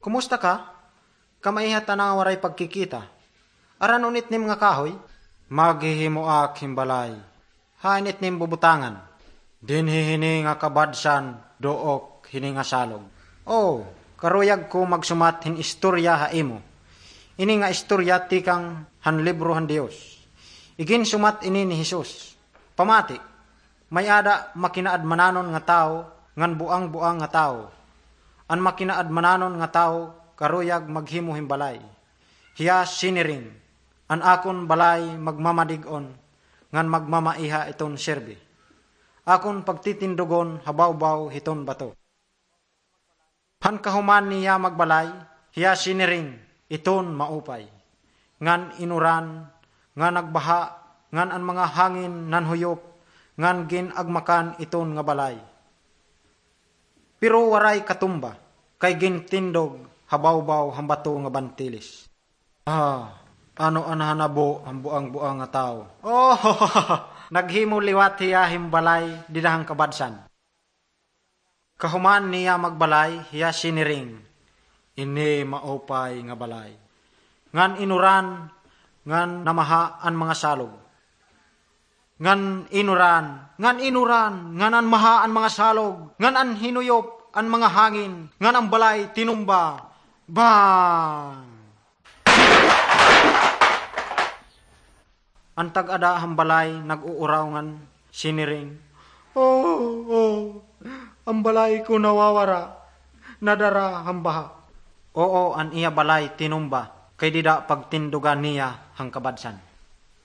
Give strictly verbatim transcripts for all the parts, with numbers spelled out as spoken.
Kumusta ka? Kamaiha tana nga waray pagkikita. Aran-on itnim nga kahoy? Maghihimo ak hin balay. Hain itnim bubutangan? Dinhi hini nga kabadsan, duok hini nga salog. O, karuyag ko magsumat hin istorya ha imo. Ini nga istorya tikang han libro han Dios. Iginsumat ini ni Jesus. Pamati, may-ada makinaadmananon nga tawo ngan buang-buang nga tawo. An makinaadmananon nga tawo karuyag maghimo hin balay. Hiya siniring, "An akon balay magmamadig-on ngan magmamaiha iton sirbi. Akon pagtitindugon ha bawbaw hiton bato." Han kahuman niya magbalay, hiya siniring, "Iton maupay." Ngan inuran, nga nagbaha, ngan an mga hangin nanhuyop, ngan gin-agmakan iton nga balay. Pero waray katumba, kay gintindog ha bawbaw han bato nga bantilis. Ah, ano an hanabo han buang-buang nga tawo? Oh, naghimo liwat hiya hin balay dida han kabadsan. Kahuman niya magbalay, hiya siniring, "Ini maupay nga balay." Ngan inuran, ngan namaha an mga salog. Ngan inuran, ngan inuran, ngan an maha an mga salog, ngan an hinuyop an mga hangin, ngan an balay tinumba. Bang! An tag-ada han balay nag-uuraw ngan siniring, "Oh, oh, an balay ko nawawara, nadara han baha." Oo, an iya balay tinumba, kay dida pagtindugan niya han kabadsan.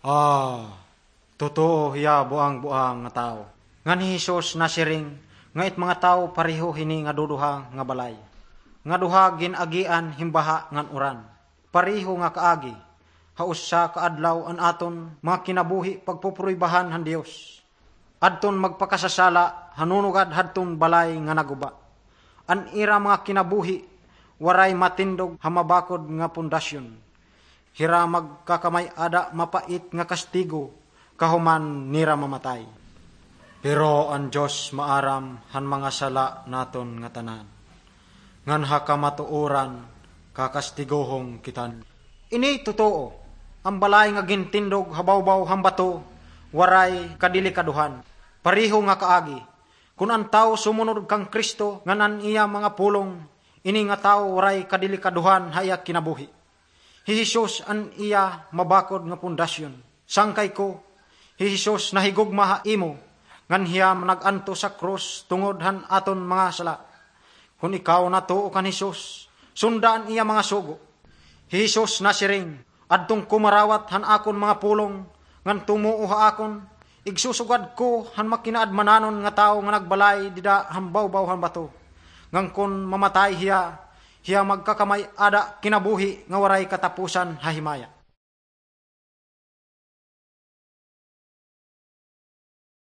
Ah, totoo hiya buang-buang nga tawo. Ngan hi Jesus nasiring nga it mga tawo pareho hini nga duduha nga balay, nga duha gin-agian hin baha ngan uran. Pareho nga kaagi, ha usa ka adlaw an aton mga kinabuhi pagpupruibahan han Dios. Adton magpakasasala ha nunugad hadton balay nga naguba. An ira mga kinabuhi waray matindog ha mabakod nga pundasyon. Hira magkakamay-ada mapait nga kastigo kahuman nira mamatay. Pero an Dios maaram han mga sala naton ngatanan, ngan ha kamatuoran kakastigohon kita. Ini totoo, an balay nga gintindog ha bawbaw han bato waray kadelikadohan. Pareho nga kaagi, kon an tawo sumunod kan Cristo ngan an iya mga pulong, ini nga tawo waray kadelikadohan ha iya kinabuhi. Hi Jesus an iya mabakod nga pundasyon. Sangkay ko, hi Jesus nahigugma ha imo, ngan hiya nag-antos ha krus tungod han aton mga sala. Kon ikaw natuo kan Jesus, sunda an iya mga sugo. Hi Jesus nasiring, "Adton ko marawat han akon mga pulong, ngan tumuo ha akon, igsusugad ko han makinaadmananon nga tawo nga nagbalay dida han bawbaw han bato. Ngan kon mamatay hiya, hiya magkakamay-ada kinabuhi nga waray katapusan ha himaya."